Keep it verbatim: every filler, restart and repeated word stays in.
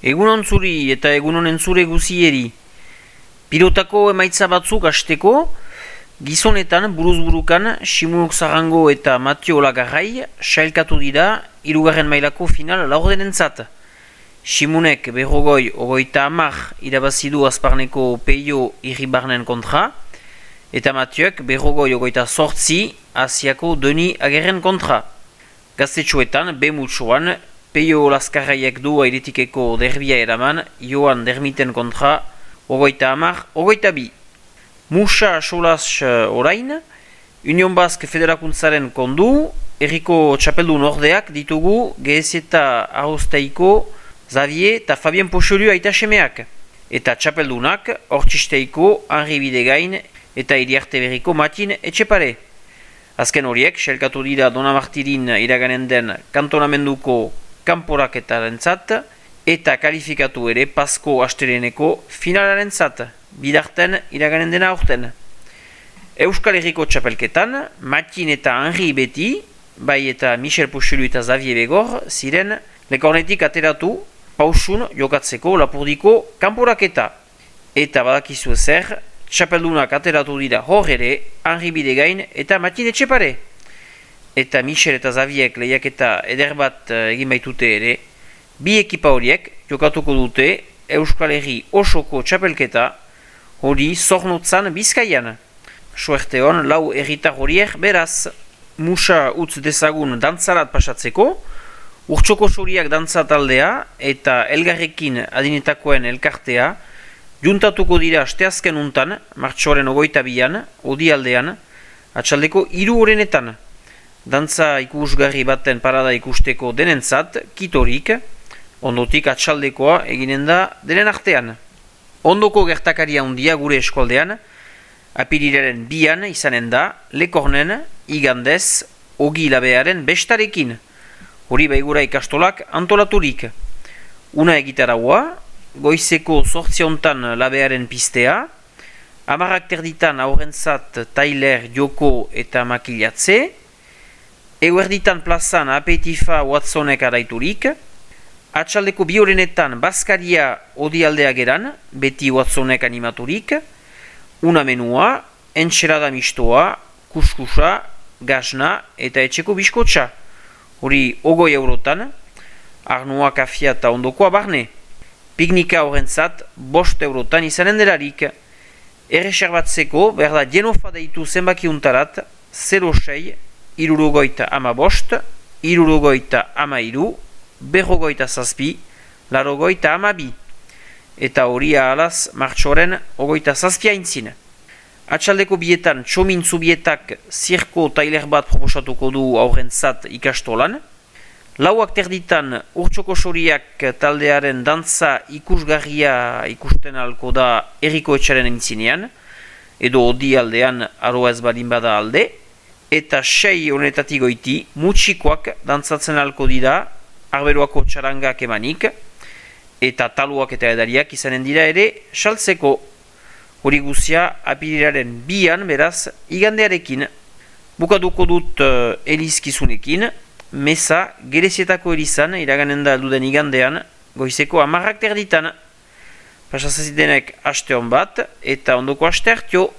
Egunon zuri eta egunon entzure guzieri. Pilotako emaitza batzuk hasteko, gizonetan buruz-burukan Simunok Zarango eta Matio Olagarrai sailkatu dira hirugarren mailako final laurdenentzat. Simunek berrogoi ogoita hamar irabazidu Azparneko Peio Irribarnen kontra, eta Matioek berrogoi ogoita sortzi Asiako Deni Agerren kontra. Gaztetxoetan, B-mutxoan, Peio Laskarraiek du airetikeko derbia eraman, Joan Dermiten kontra, ogoita hamar, ogoita bi. Musa Solas orain, Union Basque Federakuntzaren kondu, Herriko txapeldun ordeak ditugu Geezeta Arrozteiko, Xavier eta Fabien Poxolu aita semeak. Eta txapeldunak, Hortxisteiko, Henri Bidegain eta Iriarte Berriko Matin Etxepare. Azken horiek, sailkatu dira Donamartirin iraganen den kantonamenduko kanporaketarentzat eta kalifikatu ere Pasko Asteleneko finalarentzat, bidarten iraganen dena aurten. Euskal Herriko txapelketan, Matin eta Henri beti, bai eta Michel Poxelu eta Xavier Begor, ziren lekornetik ateratu pausun jokatzeko Lapurdiko kanporaketa. Eta badakizu ezer, txapeldunak ateratu dira hor ere, Henri Bidegain eta Matin Etxepare. Eta Michel eta Xavierek lehiaketa eder bat egin baitute ere, bi ekipa horiek jokatuko dute Euskal Herri osoko txapelketa hori Zornotzan Bizkaian. Suerte hon lau herritar horiek beraz. Musa utz dezagun dantzarat pasatzeko, urtsoko soriak dantza taldea eta elgarrekin adinetakoen elkartea juntatuko dira asteazken untan, martxoaren ogoita bian, odialdean, atxaldeko hiru horenetan. Dantza ikusgarri baten parada ikusteko denentzat, kitorik, ondotik atxaldekoa eginen da denen artean. Ondoko gertakaria handia gure eskualdean, apirilaren bian izanen da, lekornen, igandez, ogi labearen bestarekin. Hori baigura ikastolak antolaturik. Una egitaraua, goizeko zortziontan labearen pistea, amarak terditan aurrentzat Tyler, Joko eta Makilatze, eguerditan plazan apetifa Watsonek araiturik, atxaldeko biorenetan Baskaria odialdea geran, beti Watsonek animaturik, una menua, entxerada mistoa, kuskusa, gasna eta etxeko biskotxa. Hori ogoi eurotan, arnua kafia eta ondokoa barne. Piknika horrentzat bost eurotan izanen delarik. Erreserbatzeko berda jenofa deitu zenbaki untarat, zero sei, irurogoita ama bost, irurogoita ama iru, berrogoita zazpi, larogoita ama bi. Eta hori ahalaz martxoren ogoita zazpia intzin. Atxaldeko bietan txomin zubietak zirko tailer bat proposatuko du aurrentzat ikastolan. Lauak terditan urtsoko soriak taldearen dantza ikusgarria ikusten alko da Herriko etxaren intzinean, edo odi aldean aroa ez badin bada alde, eta sei honetatik goiti mutxikoak dantzatzen alko dira arberoako txarangak emanik, eta taluak eta edariak izanen dira ere saltzeko. Hori guzia apirilaren bian beraz igandearekin. Bukatuko dut uh, elizkizunekin, meza gerezietako elizan iraganen da alduden igandean, goizeko amarrak terditan. Pasazazidenek aste hon bat, eta ondoko aste hartio.